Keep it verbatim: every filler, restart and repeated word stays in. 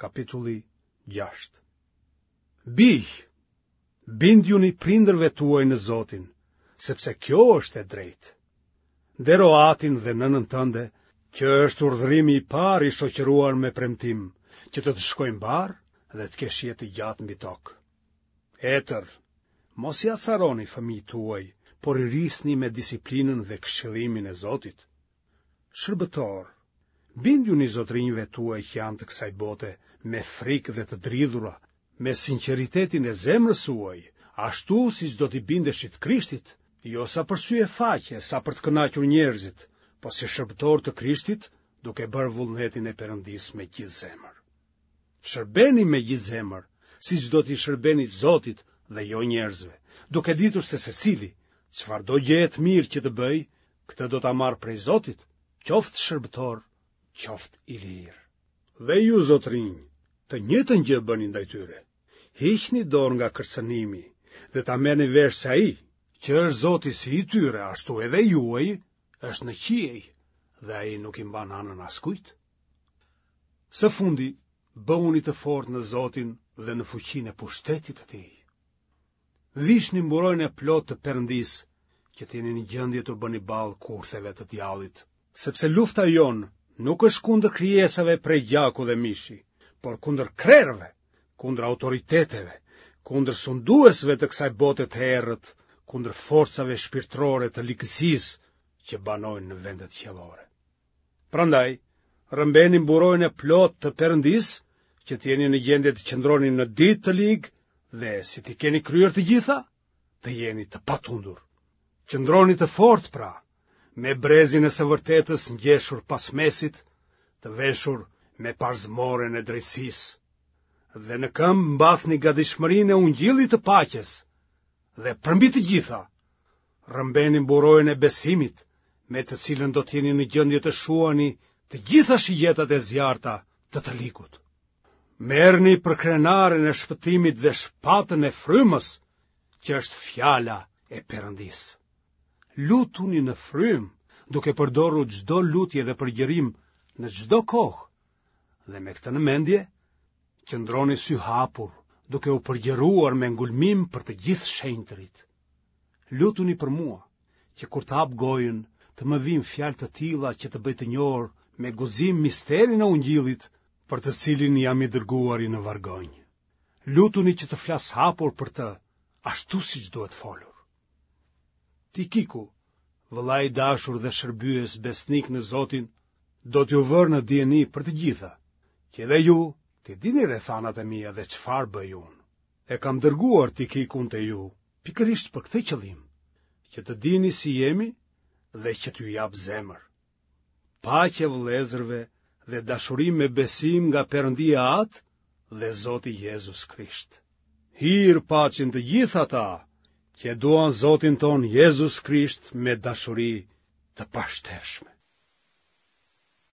Kapitulli gjashtë. Bij, bindjuni prindërve tuaj në Zotin, sepse kjo është e drejtë. Ndero atin dhe nënën tënde, që është urdhërimi i parë i shoqëruar me premtim, që të të shkojë mbarë dhe të kesh jetë të gjatë mbi tokë. Etër, mos i acaroni fëmijët tuaj, por i rrisni me disiplinën dhe këshillimin e Zotit. Shërbëtorë, bindjuni zotërinjve tuaj që janë të kësaj bote me frikë dhe të dridhura, me sinqeritetin e zemrës suaj, ashtu siç do t'i bindeshit Krishtit, jo sa për sy e faqe, sa për të kënaqur njerëzit, po si shërbëtorë të Krishtit, duke bërë vullnetin e Perëndisë me gjithë zemër. Shërbeni me gjithë zemër, siç do t'i shërbenit Zotit dhe jo njerëzve, duke ditur se secili, çfarëdo gjëje të mirë që të bëjë, këtë do ta marrë prej Zotit, qoftë shërbëtor, qoftë i lirë. Dhe ju zotërinj, të njëjtën gjë bëni ndaj tyre. Hiqni dorë nga kërcënimi dhe ta merrni vesh se ai, që është Zoti si i tyre, ashtu edhe juaj, është në qiej dhe ai nuk i mban anën askujt. Së fundi, bëhuni të fortë në Zotin dhe në fuqinë e pushtetit të tij. Vishni mburojën e plotë të Perëndisë, që të jeni në gjendje t'u bëni ballë kurtheve të djallit, sepse lufta jonë nuk është kundër krijesave prej gjaku dhe mishi, por kundër krerëve, kundër autoriteteve, kundër sunduesve të kësaj bote të errët, kundër forcave shpirtërore të ligësisë që banojnë në vendet qiellore. Prandaj, rrëmbeni mburojën e plotë të Perëndisë, që të jeni në gjendje të qëndroni në ditë të ligë dhe si t'i keni kryer të gjitha, të jeni të patundur. Qëndroni të fortë pra, me brezin e së vërtetës ngjeshur pas mesit, të veshur me parzmoren e drejtësisë, dhe në këmbë mbathni gatishmërinë e ungjillit të paqes, dhe përmbi të gjitha, rrëmbeni mburojën e besimit, me të cilën do të jeni në gjendje të shuani të gjitha shigjetat e zjarrta të të ligut. Merrni përkrenaren e shpëtimit dhe shpatën e frymës, që është fjala e Perëndisë. Lutuni në frymë, duke përdorur çdo lutje dhe përgjërim në çdo kohë. Dhe me këtë në mendje, qëndroni syhapur, duke u përgjëruar me ngulmim për të gjithë shenjtërit. Lutuni për mua, që kur të hap gojën, të më vijnë fjalë të tilla që të bëj të njohur me guxim misterin e ungjillit, për të cilin jam i dërguari në vargonj. Lutuni që të flas hapur për të, ashtu siç duhet folur. Tikiku, vëllai i dashur dhe shërbyes besnik në Zotin, do t'ju vërë në dijeni për të gjitha, që edhe ju t'i dini rrethanat e mia dhe çfarë bëj unë. E kam dërguar Tikikun te ju, pikërisht për këtë qëllim, që të dini si jemi dhe që t'ju jap zemër. Paqe vëllezërve dhe dashuri me besim nga Perëndia Atë dhe Zoti Jezus Krisht. Hir paçin të gjithë ata që e duan Zotin tonë Jezus Krisht me dashuri të pashtershme.